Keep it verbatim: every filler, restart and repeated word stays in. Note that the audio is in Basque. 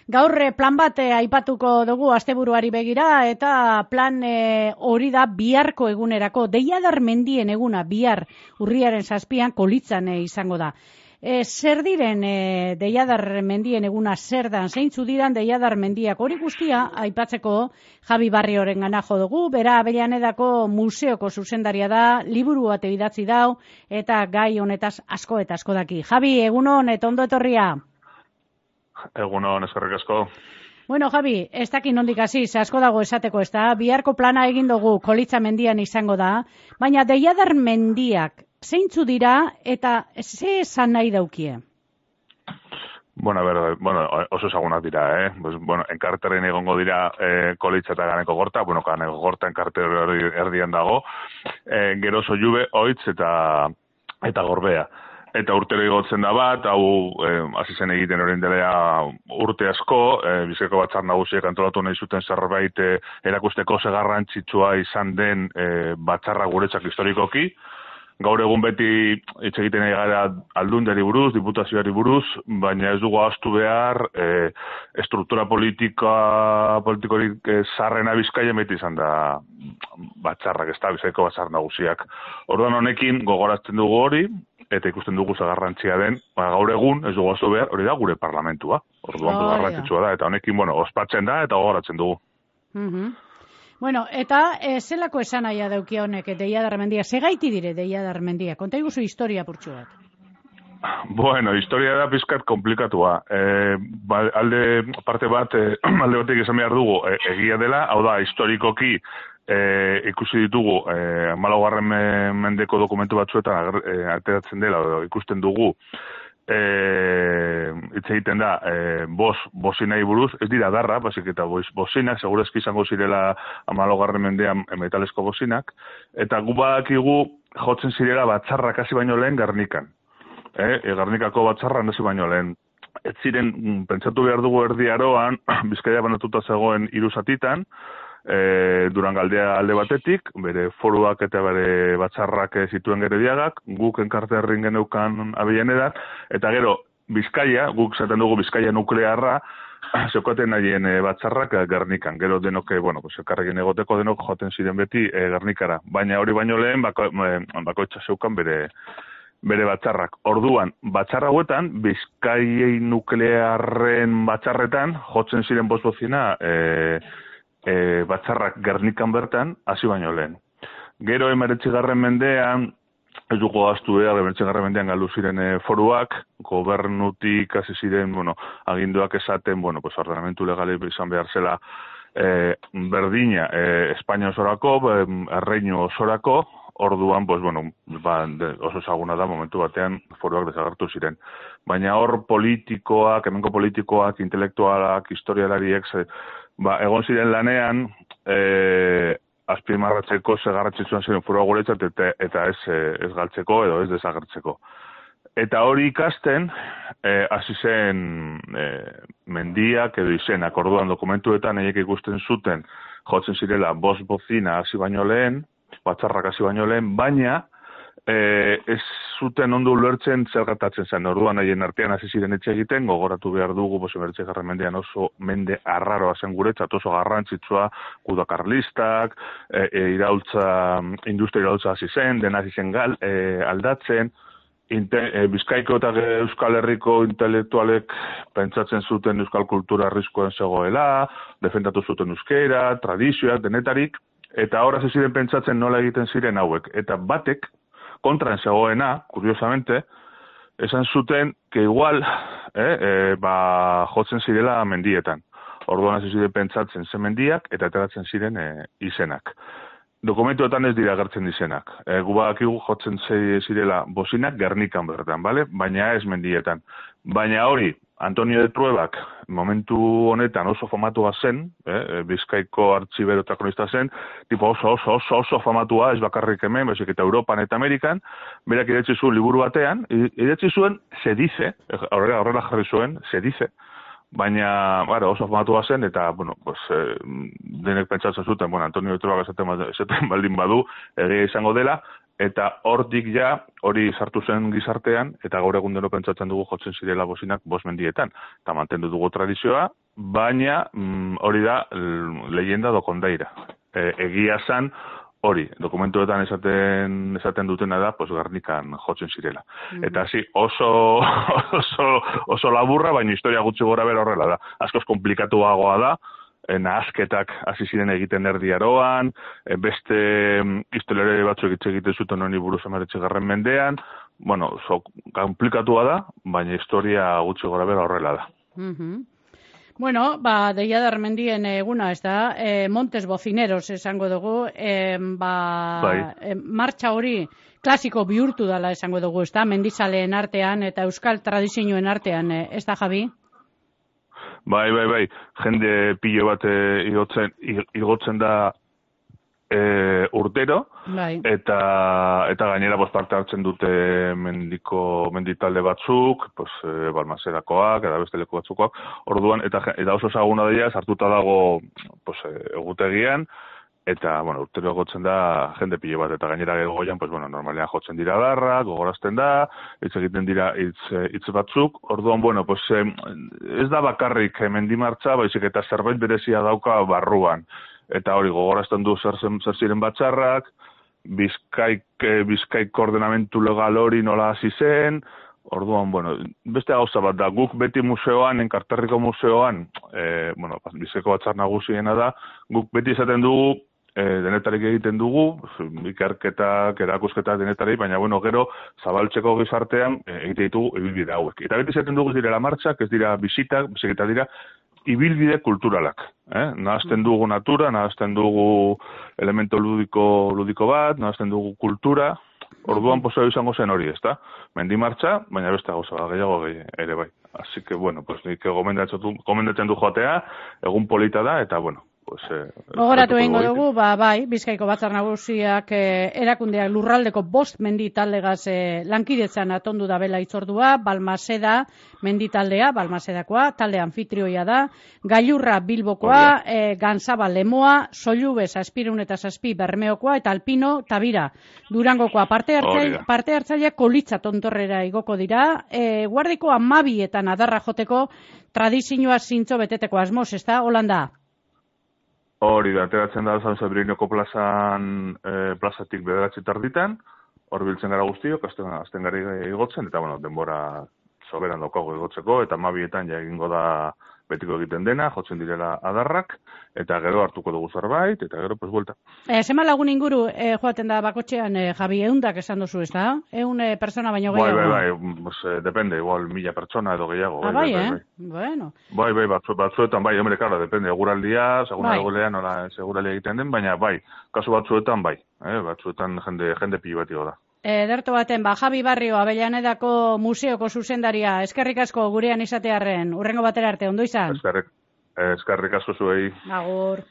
Gaur plan bat eh, aipatuko dugu asteburuari begira eta plan eh, hori da biharko egunerako. Deiadar mendien eguna bihar urriaren zazpian Kolitzan eh, izango da. E, zer diren e, Deiadar mendien eguna zer dan, zeintzu diran Deiadar mendiak, hori guztia aipatzeko Javi Barrioren gana jo dugu, bera Avellanedako museoko zuzendaria da, liburu bat idatzi dau eta gai honetaz asko eta asko daki. Javi, egunon eta ondo etorria. Egunon, eskerrik asko. Bueno, Javi, ez daki nondik hasi, ze asko dago esateko, ez da, biharko plana egin dugu Kolitza mendian izango da, baina Deiadar mendiak zeintzu dira eta ze esan nahi daukie? Bueno, a ver, bueno, oso ezagunak dira, eh? Pues, bueno, enkarteren egongo dira eh, Kolitza eta Ganeko Gorta, bueno, Ganeko Gorta enkarter erdian dago, eh, gero Sollube, Oitz eta eta Gorbea. Eta urtero igotzen da bat, hau hasi zen egiten orain dela urte asko, e, Bizkaiko Batzar Nagusiek antolatu nahi zuten zerbait e, erakusteko ze garrantzitsua izan den e, batzarra guretzak historikoki. Gaur egun beti hitz egiten ari gara aldundiari buruz, diputazioari buruz, baina ez dugu ahaztu behar e, estruktura politika, politikorik e, zarrena Bizkaia beti izan da batzarrak, ez da, Bizkaiko Batzar Nagusiak. Orduan honekin gogoratzen dugu hori, eta ikusten dugu zagarrantzia den, ba, gaur egun, ez dugu ahaztu behar, hori da gure parlamentua. Orduan oh, garrantzitsua da, eta honekin, bueno, ospatzen da, eta gogoratzen dugu. Uh-huh. Bueno, eta e, zelako esan aia daukia honek, Deiadar mendia, segaiti dire Deiadar mendia, konta iguzu historia purtsu bat. Bueno, historia da pizkat komplikatua. E, ba, alde parte bat, e, alde batek esan behar dugu, e, egia dela, hau da, historikoki, E, ikusi ditugu e, hamalaugarren mendeko dokumentu batzuetan e, ateratzen dela, edo ikusten dugu e, hitz egiten da e, bos, bosinai buruz, ez dira darra, basik eta bosinak, segurazki izango zirela hamalaugarren mendean metalesko bosinak, eta gu badakigu jotzen zirela batzarrak hasi baino lehen Gernikan. E, e, Gernikako batzarra hasi baino lehen. Ez ziren, pentsatu behar dugu Erdi Aroan, Bizkaia banatuta zegoen hiru zatitan, E, Durangaldea alde batetik, bere foruak eta bere batzarrak zituen Gerediagak, guk enkarterrin geneukan Avellanedan, eta gero Bizkaia, guk zaten dugu Bizkaia nuklearra, zeukaten nahien e, batzarrak Gernikan. Gero denok, bueno, pues, elkarrekin egoteko denok joten ziren beti e, Gernikara. Baina hori baino lehen, bako, e, bakoitza zeukan bere, bere batzarrak. Orduan, batzarra hauetan, Bizkaiei nuklearren batzarretan, jotzen ziren bozbozina, e, E, batzarrak Gernikan bertan, hasi baino lehen. Gero emeretzigarren mendean, ez dugu gaztu behar, emeretzigarren mendean galdu ziren e, foruak, gobernutik hasi ziren, bueno, aginduak esaten, bueno, pues ordenamentu legale izan behar zela e, berdina e, Espainia osorako, e, erreinu osorako, orduan, pues, bueno, ba, de, oso ezaguna da, momentu batean foruak desagertu ziren. Baina hor politikoak, hemenko politikoak, intelektualak, historialariek, ba, egon ziren lanean, e, azpimarratzeko zegarratzitzuan ziren furua guretzat eta, eta ez, ez galtzeko edo ez desagertzeko. Eta hori ikasten, hasi e, zen e, mendiak edo izenak, orduan dokumentuetan eiek ikusten zuten, jotzen zirela bost bozina hasi baino lehen, batzarrak hasi baino lehen, baina E, ez zuten ondo ulertzen zer gertatzen zen. Orduan haien artean hasi ziren etxe egiten, gogoratu behar dugu, emeretzigarren mendean oso mende arraroa zen guretzat, oso garrantzitsua, gudakarlistak, e, e, iraultza, industria iraultza hasi zen, dena hasi zen gal, e, aldatzen, Inte, e, Bizkaiko eta Euskal Herriko intelektualek pentsatzen zuten euskal kultura arriskoen zegoela, defendatu zuten euskera, tradizioak, denetarik, eta hor hasi ziren pentsatzen nola egiten ziren hauek. Eta batek, kontran zegoena, kuriosamente, esan zuten que igual eh, eh, ba, jotzen zirela mendietan. Orduan hasi ziren pentsatzen zen mendiak eta ateratzen ziren eh, izenak. Dokumentuetan ez dira agertzen izenak. E, gu badakigu jotzen zirela bosinak Gernikan bertan, bale? Baina ez mendietan. Baina hori, Antonio de Truebak momentu honetan oso famatua zen, eh, Bizkaiko artxibero eta kronista zen, tipo oso oso oso oso famatua, ez bakarrik hemen, baizik eta Europan eta Amerikan, berak idatzi zuen liburu batean, idatzi zuen se dice, horrela horrela jarri zuen, se dice, baina, bueno, oso famatua zen, eta, bueno, pues, eh, denek pentsatzen zuten, bueno, Antonio de Truebak esaten, esaten baldin badu, egia izango dela, eta hortik ja, hori sartu zen gizartean, eta gaur egun deno pentsatzen dugu jotzen zirela bosinak bost mendietan. Eta mantendu dugu tradizioa, baina mm, hori da leyenda do kondaira. E, egia zan, hori, dokumentuetan esaten esaten dutena da, pues Gernikan jotzen zirela. Mm-hmm. Eta hasi oso, oso, oso laburra, baina historia gutxi gora bera horrela da. Askoz komplikatuagoa da, nahasketak hasi ziren egiten erdi aroan, beste historiare batzuk hitz egiten zuten honi buruz hemeretzigarren mendean, bueno, so, komplikatua da, baina historia gutxi gora bera horrela da. Mm-hmm. Bueno, ba, Deiadar mendien eguna, ez da, e, Montes Bocineros esango dugu, e, ba, bai. e, martxa hori klasiko bihurtu dela esango dugu, ez da, mendizaleen artean eta euskal tradizioen artean, e, ez da, Javi? Bai, bai, bai, jende pilo bat e, igotzen, igotzen da e, urtero, bai. eta eta gainera bost parte hartzen dute mendiko menditalde batzuk, pues e, Balmaserakoak eta beste leku batzukoak. Orduan eta eta oso ezaguna dira, sartuta dago pues egutegian eta bueno, urtero egotzen da jende pilo bat eta gainera goian pues bueno, normalean jotzen dira darra, gogorazten da, hitz egiten dira hitz hitz batzuk. Orduan bueno, pues ez da bakarrik mendimartza, baizik eta zerbait berezia dauka barruan. Eta hori gogorazten du zer, zer ziren batzarrak, bizkaik, bizkaik koordenamentu legal hori nola hasi zen, orduan, bueno, beste gauza bat da, guk beti museoan, enkarterriko museoan, e, bueno, bizkaiko batzar nagusiena da, guk beti izaten dugu, e, denetarik egiten dugu, ikerketak, erakusketak denetarik, baina, bueno, gero, zabaltzeko gizartean, e, egite ditugu ibilbide hauek. Eta beti izaten dugu ez direla martxak, ez dira bisitak, biziketa dira, ibilbide kulturalak, eh? Nahazten dugu natura, nahazten dugu elemento ludiko, ludiko bat, nahazten dugu kultura, orduan poseo izango zen hori, ezta? Mendimartxa, baina beste gauza, gehiago ere bai. Así que, bueno, pues nik gomendatzen du joatea, egun polita da, eta, bueno, pues... Eh, Gogoratu egingo dugu, ba, bai, Bizkaiko Batzar Nagusiak eh, erakundeak lurraldeko bost menditallegaz eh, lankidetzan atondu da bela itzordua, Balmaseda menditaldea, Balmasedakoa, talde anfitrioia da, Gailurra Bilbokoa, eh, Ganzaba Lemoa, Sollube Zazpirun eta Zazpi Bermeokoa, eta Alpino Tabira Durangokoa. Parte hartzaile, parte hartzaile Kolitza tontorrera igoko dira, eh, guardiko amabietan adarra joteko tradizioa zintzo beteteko asmoz, ez da, Holanda? Hori da, ateratzen da San Sabrinoko plazan, eh, plazatik bederatzi tarditan, hor biltzen gara guztiok, azten, azten gari igotzen, eta bueno, denbora soberan daukago igotzeko, eta mabietan ja egingo da betiko egiten dena, jotzen direla adarrak, eta gero hartuko dugu zerbait, eta gero, pues, buelta. E, Zema lagun inguru e, joaten da bakotxean, e, Javi, eundak esan duzu, ez da? Eun e, persona baino gehiago? Bai, bai, bai, pues, eh, depende, igual mila persona edo gehiago. Ah, bai, bai, eh? Bai, bai. Bueno. Bai, bai, batzu, batzuetan, bai, hombre, karo, depende, eguraldia, seguna bai. Egulean, nola, seguralia egiten den, baina, bai, kasu batzuetan, bai, eh? Batzuetan jende, jende pilo bat da. Ederto baten, ba, Javi Barrio, Avellanedako museoko zuzendaria, eskerrik asko gurean izatearren, urrengo batera arte, ondo izan? Eskerrik, eskerrik asko zuei. Agur.